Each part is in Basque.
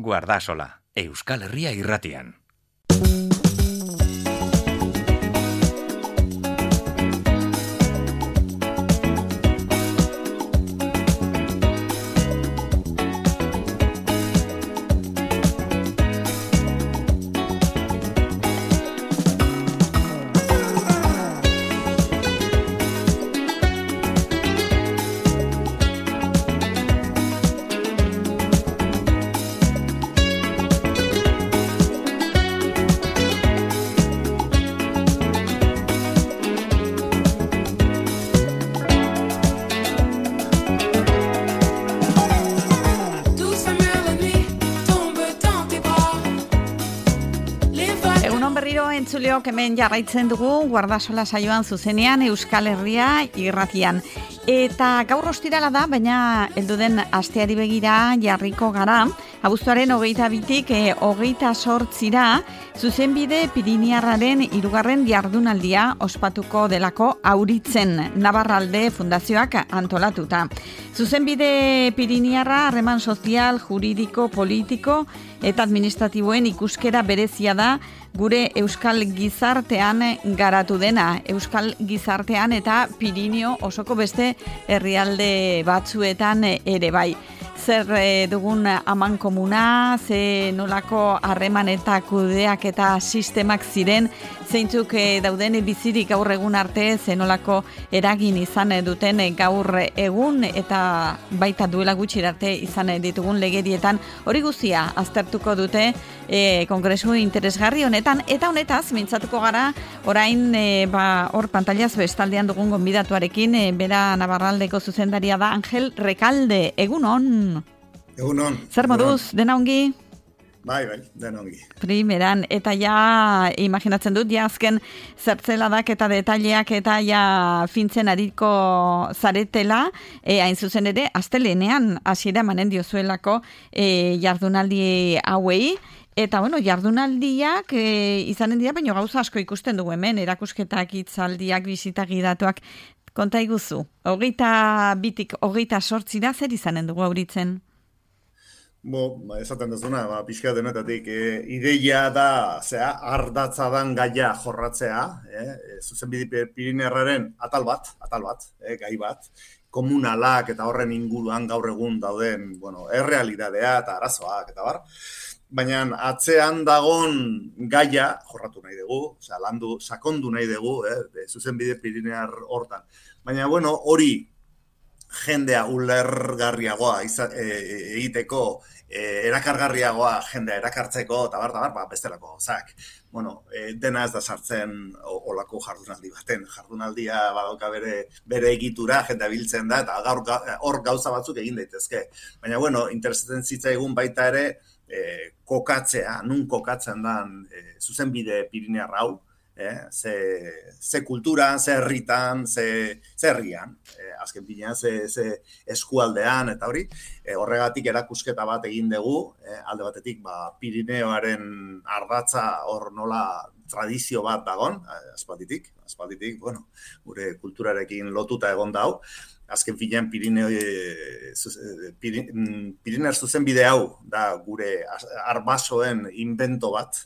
Guardasola, Euskal Herria irratian. Entzuleok hemen jarraitzen dugu Guardasola saioan zuzenean Euskal Herria irratian. Eta gaur ostirala da, baina helduden asteari begira jarriko gara. Abuztuaren 22tik 28ra zuzenbide Piriniarraren 3. jardunaldia ospatuko delako Auritzen Navarralde Fundazioak antolatuta. Zuzenbide Piriniarra harreman sozial, juridiko, politiko eta administratiboen ikuskera berezia da gure Euskal Gizartean garatu dena. Euskal Gizartean eta Pirinio osoko beste herrialde batzuetan ere bai. Zer dugun amankomuna, ze nolako harreman eta kudeak eta sistemak ziren, zeintzuk dauden bizirik gaur egun arte, ze nolako eragin izan duten gaur egun eta baita duela gutxi arte izan ditugun legerietan, hori guztia aztertuko dute kongresu interesgarri honetan, eta honetaz mintzatuko gara orain hor pantailaz bestaldean dugun gonbidatuarekin, bera Navarraldeko zuzendaria da Angel Recalde. Egunon! Egunon. Zer moduz, dena ongi? Bai, dena ongi. Primeran, eta ja, imaginatzen dut, ja azken zertzeladak eta detaileak eta ja fintzen ariko zaretela, hain zuzen ere, astelenean hasiera emanen diozuelako jardunaldi hauei. Eta, bueno, jardunaldiak izanen dira, baina gauza asko ikusten dugu hemen, erakusketak, hitzaldiak, bisitak, gidatuak. Konta iguzu, 22tik 28 zer izanen dugu Auritzen? Esaten duzuna, pixka denetatik, ideia da, ardatza dan gaia jorratzea, zuzenbide Piriniarraren atal bat, gai bat, komunalak eta horren inguruan gaur egun dauden, errealidadea eta arazoak eta bar, baina atzean dagon gaia jorratu nahi dugu, landu, sakondu nahi dugu, zuzenbide Piriniar hortan. Baina, hori jendea ulergarriagoa egiteko, erakargarriagoa jendea erakartzeko, eta bestelako gozak. Dena ez da sartzen olako jardunaldi baten. Jardunaldia badauka bere egitura, jendea biltzen da, eta hor gauza batzuk egin daitezke. Baina, interesatzen zitzaigun baita ere, kokatzea, nun kokatzen dan zuzenbide Piriniar hau, ze kulturan, ze herritan, ze herrian, azken pinean, ze eskualdean, eta hori, horregatik erakusketa bat egin dugu, alde batetik Pirineoaren ardatza hor nola tradizio bat dagon, aspalditik, gure kulturarekin lotuta egon dau, azken finean Pirinear zuzenbide hau da gure arbasoen invento bat,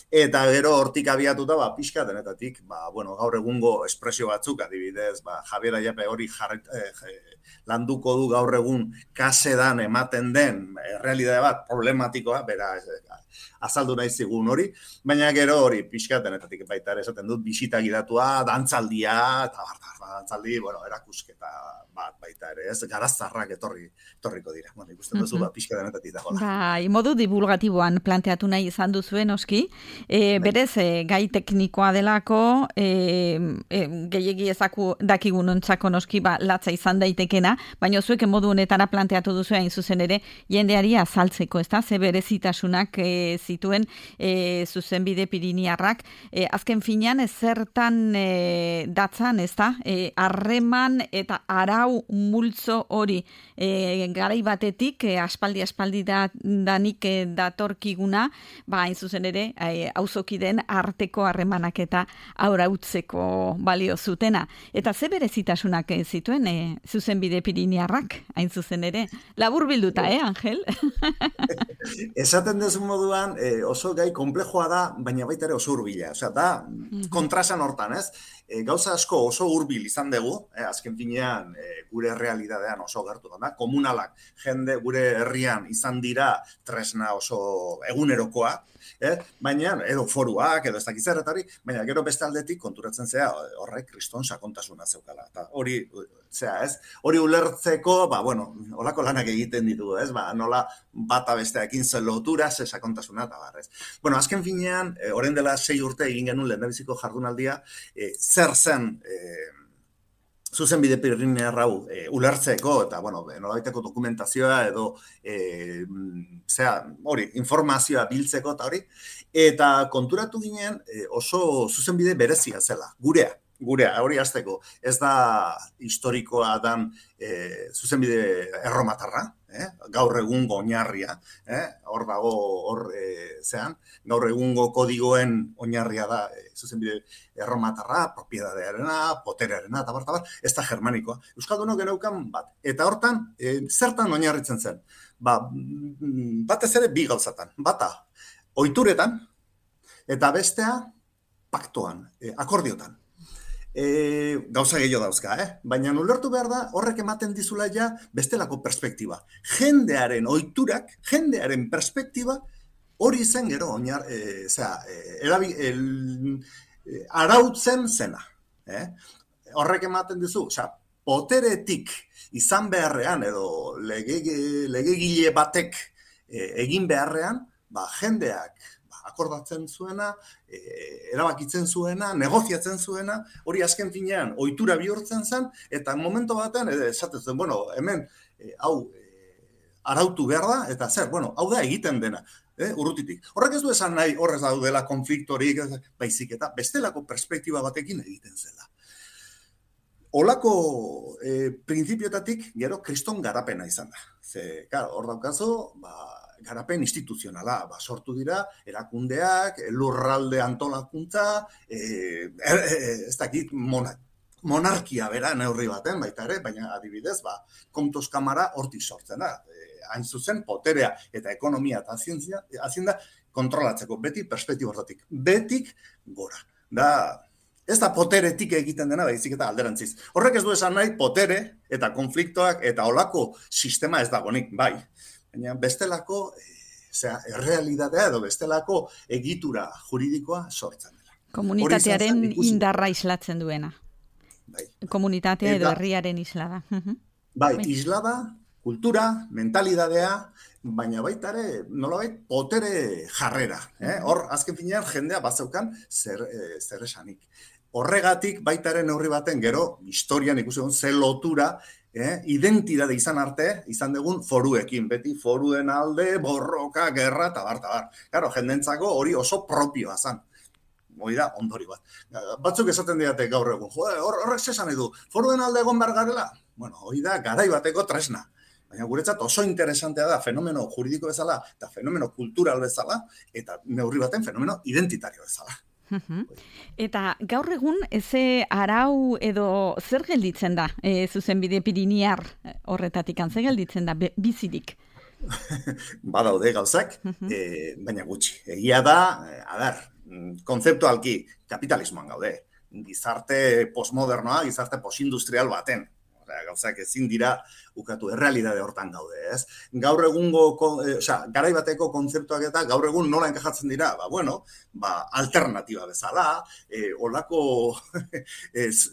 eta gero hortik abiatuta, pixka denetatik, gaur egungo espresio batzuk, adibidez, Javier Ayape hori landuko du gaur egun kasedan ematen den errealidade bat problematikoa, bera azaldu nahi zigun hori, baina gero hori pixka denetatik baita ere esaten dut, bisita gidatua, dantzaldia, eta dantzaldi, erakusketa bat baita ere, ez garaztarrak etorriko dira. Ikusten duzu, pixka denetatik dagoela. Modu divulgatiboan planteatu nahi izan duzuen, oski, berez, gai teknikoa delako, gehiegi ezaku dakigun ontzako noski, latza izan daitekena, baina zuek modu honetara planteatu duzu hain zuzen ere, jendeari azaltzeko, ez da, ze berezitasunak zituen zuzenbide Piriniarrak, azken finean zertan datzan, ez da, harreman eta arau multzo hori garai batetik, aspaldi danik datorkiguna, hain zuzen ere, auzokideen arteko harremanak eta aurautzeko balio zutena. Eta ze berezitasunak zituen zuzenbide Piriniarrak, hain zuzen ere. Labur bilduta, Angel? Esaten dezu moduan, oso gai komplejoa da, baina baita ere oso hurbila. Osea, da kontrasan hortan, ez? Gauza asko oso hurbil izan dugu, azken finean gure realidadean oso gertu da. Komunalak, jende gure herrian izan dira tresna oso egunerokoa, baina, edo foruak, edo ez dakitzer eta hori, baina gero beste aldetik konturatzen zea horrek kriston sakontasuna zeukala. Eta hori, hori ulertzeko, holako lanak egiten ditugu, ez? Nola bata besteakin zen lotura, ze sakontasuna eta barrez. Azken finean, orain dela 6 urte egin genuen lehendabiziko jardunaldia, zer zen zuzenbide Pirinioar hau ulertzeko eta, nolabaiteko dokumentazioa edo informazioa biltzeko eta hori, eta konturatu ginen oso zuzenbide berezia zela, gurea, hori hasteko. Ez da historikoa dan zuzenbide erromatarra, gaur egungo oinarria, hor dago, gaur egungo kodigoen oinarria da zuzenbide erromatarra, propiedadearena, poterearena, eta bar, ez da germanikoa. Euskaldunok geneukan bat. Eta hortan, zertan oinarritzen zen? Batez ere bi gauzatan. Bata, ohituretan, eta bestea, paktoan, akordiotan. Gauza gehiago dauzka, baina ulertu behar da horrek ematen dizula ja bestelako perspektiba. Jendearen ohiturak, jendearen perspektiba hori zen gero arautzen zena. Horrek ematen dizu, poteretik izan beharrean edo legegile batek egin beharrean, jendeak akordatzen zuena, erabakitzen zuena, negoziatzen zuena, hori azken finean ohitura bihurtzen zen, eta momentu batean, esaten zen, hemen, hau arautu behar da, eta zer, hau da egiten dena, urrutitik. Horrek ez du esan nahi, horrez daudela konfliktorik, baizik eta bestelako perspektiba batekin egiten zela. Olako printzipioetatik gero kriston garapena izan da. Hor daukazu, garapen instituzionala, sortu dira, erakundeak, lurralde antolakuntza, ez dakit monarkia bera neurri baten, baita ere, baina adibidez, Kontos Kamara hortik sortzen da. Hain zuzen, poterea eta ekonomia eta hazienda kontrolatzeko, beti perspektiba hortatik, betik gora. Ez da poteretik egiten dena, baizik eta alderantziz. Horrek ez du esan nahi, potere eta konfliktoak eta olako sistema ez dagonik, bai. Baina bestelako errealitatea edo bestelako egitura juridikoa sortzen dela. Komunitatearen indarra islatzen duena. Komunitatea edo herriaren islada. Bai, islada, kultura, mentalidadea, baina baita ere, nolabait, potere jarrera. Hor, azken finean, jendea bazeukan zer esanik. Horregatik, baita ere neurri baten, gero, historian ikusi egon, ze lotura, identitate izan arte, izan dugun foruekin, beti foruen alde, borroka, gerra, eta bar. Claro, jendentzako hori oso propioa zan. Hori da, ondori bat. Batzuk esaten diate gaur egun, horrek zesan edu, foruen alde egon behar garela? Hori da, garai bateko tresna. Baina guretzat oso interesantea da fenomeno juridiko bezala, eta fenomeno kultural bezala, eta neurri baten fenomeno identitario bezala. Eta gaur egun, ze arau edo zer gelditzen da zuzenbide Pirinioar horretatik, zer gelditzen da bizirik? Badaude gauzak, baina gutxi. Egia da, kontzeptualki kapitalismoan gaude. Gizarte postmodernoa, gizarte postindustrial baten. Gauzak ezin dira ukatu, errealitate hortan gaude, ez? Gaur egungo, garai bateko kontzeptuak eta gaur egun nola enkajatzen dira? Alternatiba bezala, olako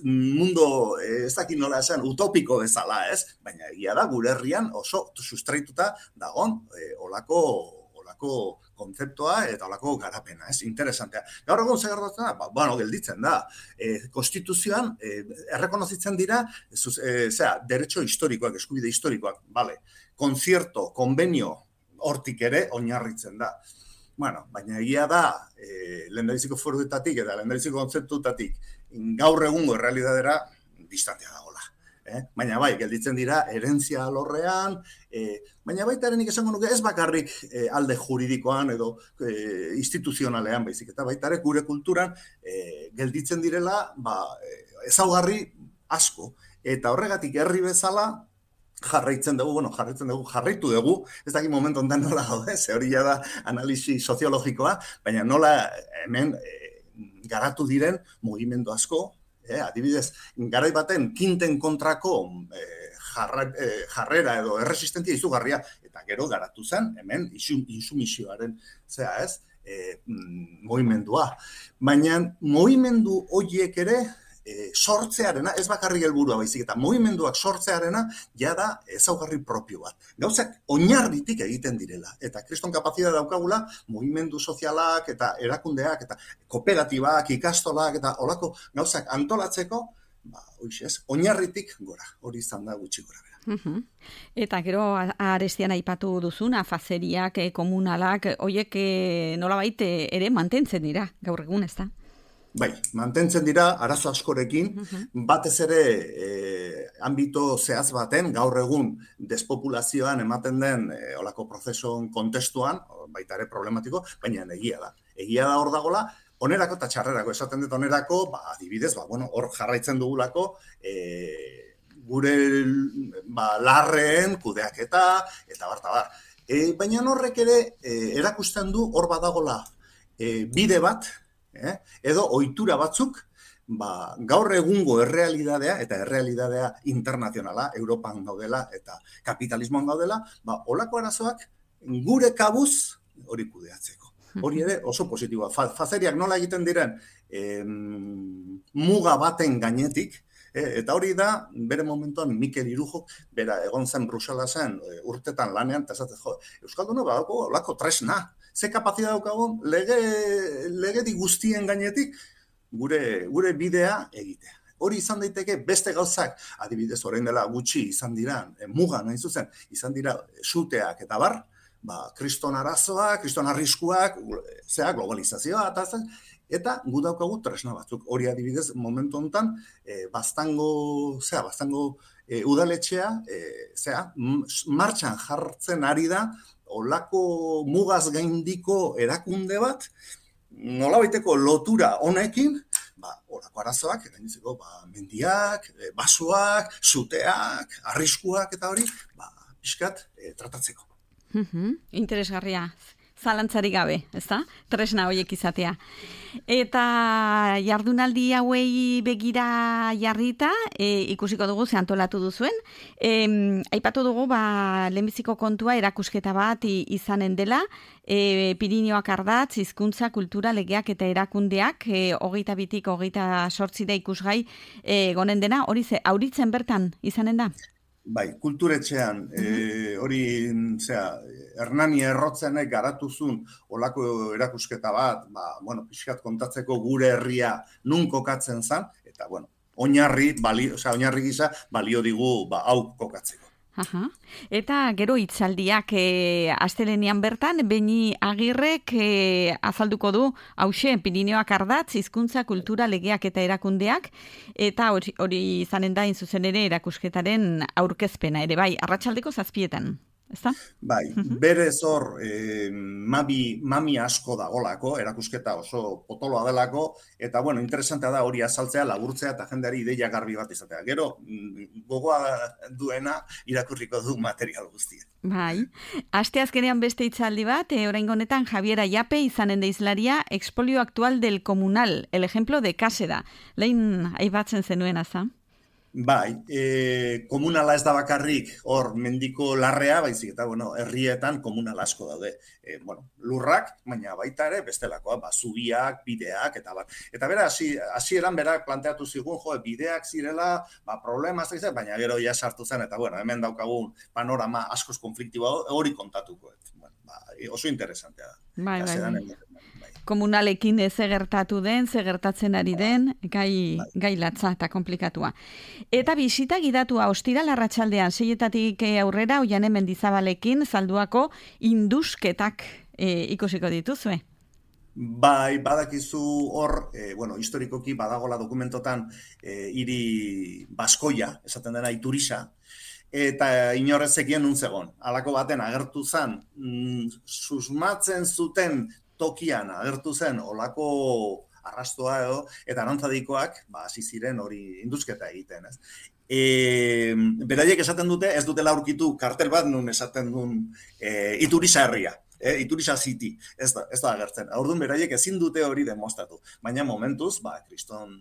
mundo, ez dakit nola esan, utopiko bezala, ez? Baina egia da, gure herrian oso sustraituta dagon olako kontzeptua eta olako garapena, ez? Interesantea. Gaur egun zer gertatzen da? Gelditzen da. Konstituzioan errekonozitzen dira, derecho historikoak, eskubide historikoak, bale. Konzierto, konbenio, hortik ere oinarritzen da. Baina egia da, lehendabiziko foruetatik eta lehendabiziko kontzeptutatik gaur egungo errealitatea distantea dagoela. Baina bai, gelditzen dira herentzia alorrean, baina baita nik esango nuke ez bakarrik alde juridikoan edo instituzionalean baizik, eta baita ere gure kulturan gelditzen direla ezaugarri asko, eta horregatik herri bezala jarraitu dugu, ez dakit momentu ondan nola gaude, ze hori da analisi soziologikoa, baina nola hemen garatu diren mugimendu asko, adibidez, garai baten kinten kontrako jarrera edo erresistentzia izugarria, eta gero garatu zen, hemen insumisioaren, mugimendua. Baina mugimendu horiek ere, sortzearena, ez bakarrik helburua baizik, eta mugimenduak sortzearena jada ezaugarri propio bat. Gauzak oinarritik egiten direla, eta kriston kapazitatea daukagula mugimendu sozialak eta erakundeak eta kooperatibak, ikastolak eta olako gauzak antolatzeko, oinarritik gora, hori izan da gutxi gora bera. Eta gero arestian aipatu duzuna, fazeriak, komunalak, horiek nolabait ere mantentzen dira gaur egun, ez da? Bai, mantentzen dira arazo askorekin, batez ere ambito zehaz baten, gaur egun despopulazioan ematen den olako prozesun kontestuan, baita ere problematiko, baina egia da. Egia da hor dagola, onerako eta txarrerako, esaten dut onerako, adibidez, hor jarraitzen dugulako, gure larreen kudeaketa, eta bar. Baina horrek ere erakusten du hor badagola bide bat, edo ohitura batzuk, gaur egungo errealidadea, eta errealidadea internazionala, Europan gaudela eta kapitalismoan gaudela, olako arazoak gure kabuz hori kudeatzeko. Hori ere oso positiboa. Fazeriak nola egiten diren muga baten gainetik, eta hori da, bere momentuan Mikel Irujok, bera egon zen Bruselasen urtetan lanean, eta esatzen Euskalduna badako olako tresna. Ze kapazitatea daukagun legedi guztien gainetik gure bidea egitea. Hori izan daiteke beste gauzak, adibidez orain dela gutxi izan dira, muga nahi zuzen, izan dira suteak eta bar, kriston arazoak, kriston arriskuak, globalizazioa, eta gu daukagu tresna batzuk. Hori adibidez momentu honetan, baztango udaletxea, martxan jartzen ari da, olako mugaz gaindiko erakunde bat, nolabaiteko lotura honekin, olako arazoak, gainditzeko, mendiak, basoak, suteak, arriskuak eta hori, pixkat tratatzeko. Interesgarria, zalantzarik gabe, ezta? Tresna horiek izatea. Eta jardunaldi hauei begira jarrita, ikusiko dugu ze antolatu duzuen. Aipatu dugu, lehenbiziko kontua erakusketa bat izanen dela, Pirinioak ardatz, hizkuntza, kultura, legeak eta erakundeak, 22-tik 28 da ikusgai gonen dena, hori auritzen bertan izanen da? Bai, kulturetxean, hori, Hernani Errotzenek garatuzun olako erakusketa bat, pixkat kontatzeko gure herria nun kokatzen zen, eta, oinarri gisa balio digu hau kokatzeko. Eta gero hitzaldiak astelehenean bertan, Beni Agirrek azalduko du, hauxe, Pirinioak ardatz, hizkuntza, kultura, legeak eta erakundeak, eta hori izanen da zuzen ere erakusketaren aurkezpena, ere bai, arratsaldeko 7:00, ezta? Bai, berez hor mami asko dagolako, erakusketa oso potoloa delako, eta interesantea da hori azaltzea, laburtzea eta jendeari ideia garbi bat izatea. Gero, gogoa duena irakurriko du material guztia. Bai, asteazkenean beste hitzaldi bat, oraingo honetan Javier Ayape izanen da hizlaria, Expolio Actual del Comunal, el ejemplo de Kaseda. Lehen aipatzen zenuen aza? Bai, komunala ez da bakarrik hor mendiko larrea, baizik eta, herrietan komunal asko daude. Lurrak, baina baita ere bestelakoa, zubiak, bideak, eta bat. Eta bera, hasieran berak planteatu zigun, bideak zirela, problemaz, baina gero ja sartu zen, eta hemen daukagun panorama askoz konfliktiboa hori kontatuko. Oso interesantea da. Bai. Komunalekin ze gertatu den, ze gertatzen ari den, gai latza eta komplikatua. Eta bisita gidatua ostiral arratsaldean 6:00 aurrera Oiane Mendizabalekin Zalduako indusketak ikusiko dituzue. Bai, badakizu hor, historikoki badagola dokumentotan hiri baskoia, esaten dena Iturisa, eta inorrezekien nun zegon. Halako baten agertu zen, susmatzen zuten tokian agertu zen olako arrastoa edo, eta arantzadikoak hasi ziren hori indusketa egiten, ez? beraiek esaten dute, ez dutela aurkitu kartel bat nun esaten duen Iturisa herria. Iturisa City, ez da agertzen. Orduan beraiek ezin dute hori demostratu. Baina momentuz, kriston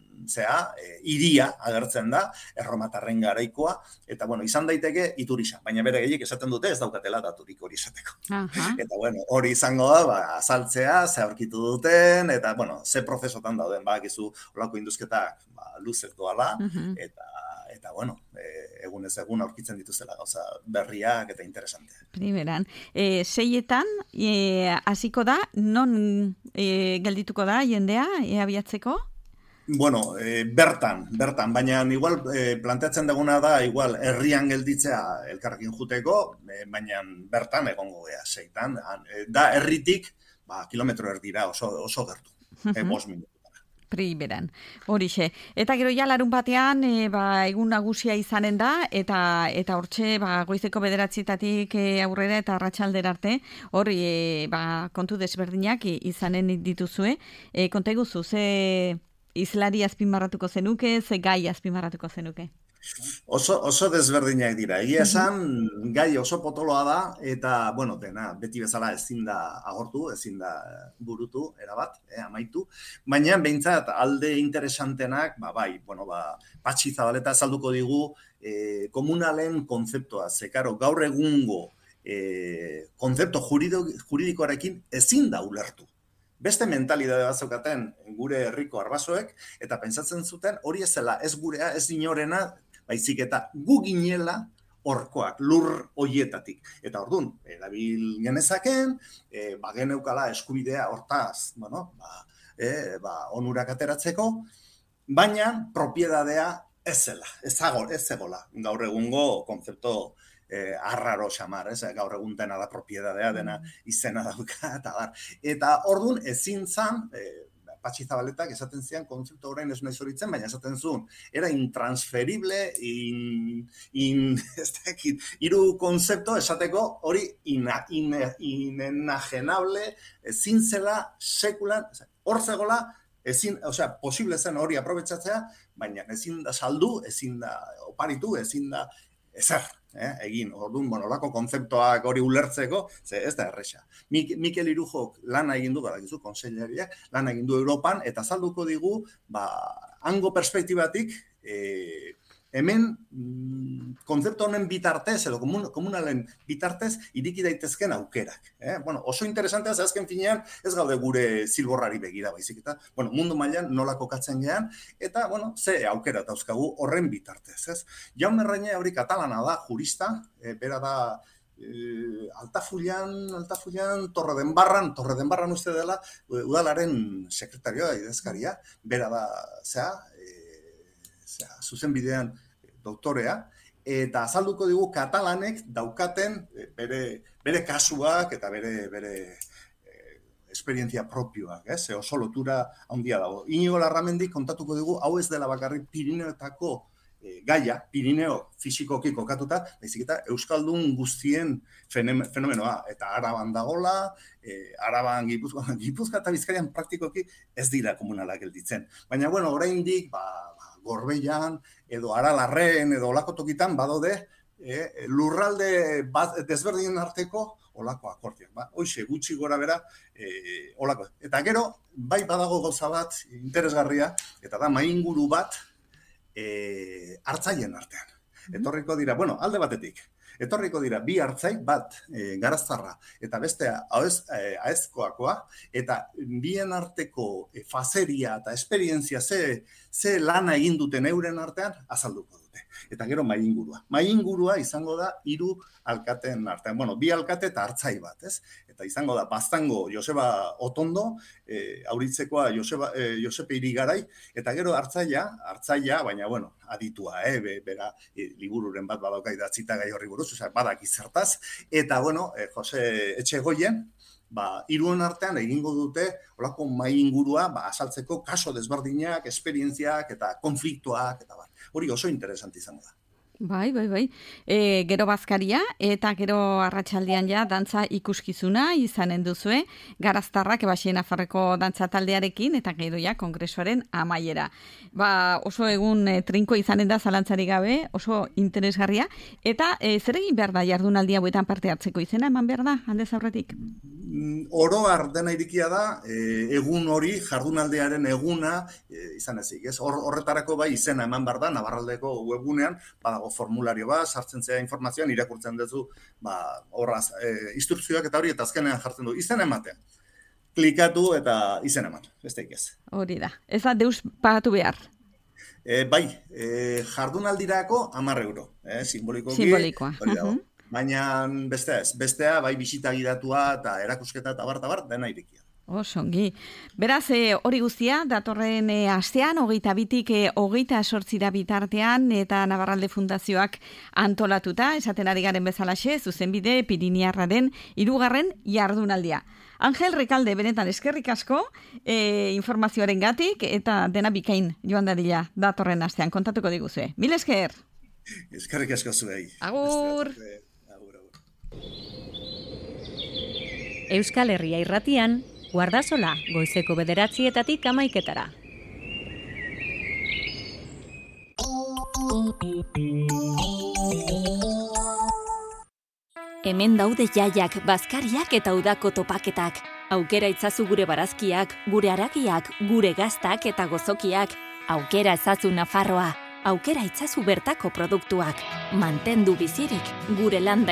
hiria agertzen da, erromatarren garaikoa, eta izan daiteke Iturisa. Baina beraiek esaten dute ez daukatela daturik hori esateko. Eta hori izango da, azaltzea, ze aurkitu duten, eta ze prozesotan dauden, bakizu olako induzketak luzez doala, eta egunez egun aurkitzen dituzela gauza berriak eta interesante. Primeran, 6etan hasiko da, non geldituko da jendea abiatzeko? Bertan, baina igual planteatzen duguna da, igual herrian gelditzea elkarrekin juteko, baina bertan egongo gea 6etan. Da herritik, kilometro erdira oso gertu, 5 minutu. Primeran, horixe. Eta gero ja larun batean, egun nagusia izanen da, eta hortxe goizeko 9:00 aurrera eta arratsaldera arte, hori kontu desberdinak izanen dituzue. Konta eguzu, ze izlari azpimarratuko zenuke, ze gai azpimarratuko zenuke? Oso desberdinak dira. Egia esan, gai oso potoloa da, eta, dena, beti bezala ezin da agortu, ezin da burutu, erabat, amaitu. Baina, behintzat, alde interesantenak, Patxi Zabaleta azalduko digu, komunalen konzeptua, zekaro, gaur egungo konzepto juridikoarekin ezin da ulertu. Beste mentalidade bat zeukaten gure herriko arbasoek, eta pentsatzen zuten hori ezela, ez gurea, ez inorena, baizik eta gu ginela horkoak, lur hoietatik. Eta orduan, erabil genezaken, geneukala eskubidea hortaz, onurak ateratzeko, baina propiedadea ez zela, ez zegola, gaur egungo konzepto arraro xamar, gaur egun dena da propiedadea, dena izena dauka, eta orduan ezin zan, Patxi Zabaletak esaten zian konzeptu orain ez nahi zoritzen, baina esaten zuen, era intransferible, hiru konzepto esateko hori inenajenable, ezin zela sekulan, hor zegola, posible zen hori aprobetxatzea, baina ezin da saldu, ezin da oparitu, ezin da ezer. Egin, orduan, olako konzeptoak hori ulertzeko, ez da erresa. Mikel Irujok lana egin du, badakizu, konseilariak, lana egin du Europan, eta azalduko digu, hango perspektibatik, hemen konzeptu honen bitartez, edo komunalen bitartez, iriki daitezken aukerak. Oso interesantea, azken finean, ez gaude gure zilborrari begira baizik, eta mundu mailan nola kokatzen gean, eta ze aukera dauzkagu horren bitartez. Jaume Reñé hori katalana da, jurista, bera da Altafullan, Torredenbarran uste dela, udalaren sekretarioa idazkaria, bera da, zuzenbidean doktorea, eta azalduko digu katalanek daukaten bere kasuak eta bere esperientzia propioak, oso lotura handia dago. Inigo Larramendik kontatuko digu, hau ez dela bakarrik Pirineoetako gaia, Pirineo fisikoki kokatuta, baizik eta Euskaldun guztien fenomenoa, eta Araban dagola, Araban, Gipuzkoa eta Bizkaian praktikoki ez dira komunalak gelditzen. Baina, oraindik, Gorbeian, edo Aralarren, edo olako tokitan, badaude, lurralde desberdinen arteko olako akordioak. Hoxe, gutxi gora bera, olako. Eta gero, bai badago gauza bat interesgarria, eta da mainguru bat hartzaien artean. Etorriko dira, alde batetik, etorriko dira bi hartzaik bat garaztarra eta bestea aezkoakoa, eta bien arteko fazeria eta esperientzia ze lana egin duten euren artean azalduko dute. Eta gero maingurua. Maingurua izango da 3 alkateen artean. 2 alkate eta hartzai bat, ez? Eta izango da Baztango Joseba Otondo, Auritzekoa Josepe Irigarai, eta gero hartzaia, baina, aditua, bera libururen bat badauka idatzita gai horri buruz, badaki zertaz, eta, Jose Etxegoien, 3 artean egingo dute olako mahai ingurua azaltzeko kaso desberdinak, esperientziak eta konfliktuak, eta hori oso interesanti izango da. Bai. Gero bazkaria eta gero arratsaldean ja dantza ikuskizuna izanen duzue, Garaztarrak Baxi Nafarreko dantza taldearekin eta gero ja kongresuaren amaiera. Oso egun trinko izanen da zalantzari gabe, oso interesgarria eta zer egin behar da jardunaldi hauetan parte hartzeko, izena eman behar da aldez aurretik? Oro har dena irikia da, egun hori, jardunaldiaren eguna izan ezik. Horretarako bai izena eman behar da, Navarraldeko webgunean, badago formulario bat, sartzen zea informazioan, irakurtzen duzu, horraz, instrukzioak eta hori, eta azkenean jartzen du, izena ematea. Klikatu eta izena eman, besteik ez. Hori da, ez da deus pagatu behar. Bai, jardunaldirako 10 euro, simbolikoki. Simbolikoa. Hori dago. Baina bestea bai bisita gidatua eta erakusketa eta bar, dena irikia. Osongi. Beraz, hori guztia, datorren astean, 22-tik 28 bitartean, eta Navarralde Fundazioak antolatuta, esaten ari garen bezalaxe, zuzenbide Piriniarraren 3. jardunaldia. Angel Rekalde, benetan eskerrik asko, informazioaren gatik, eta dena bikain joan dadila datorren astean, kontatuko diguzue. Mil esker! Eskerrik asko zuei. Agur! Euskal Herria Irratian, Guardasola, goizeko 9:00 11:00. Hemen daude jaiak, bazkariak eta udako topaketak. Aukera itzazu gure barazkiak, gure haragiak, gure gaztak eta gozokiak. Aukera ezazu Nafarroa. Aukera itzazu bertako produktuak. Mantendu bizirik gure landa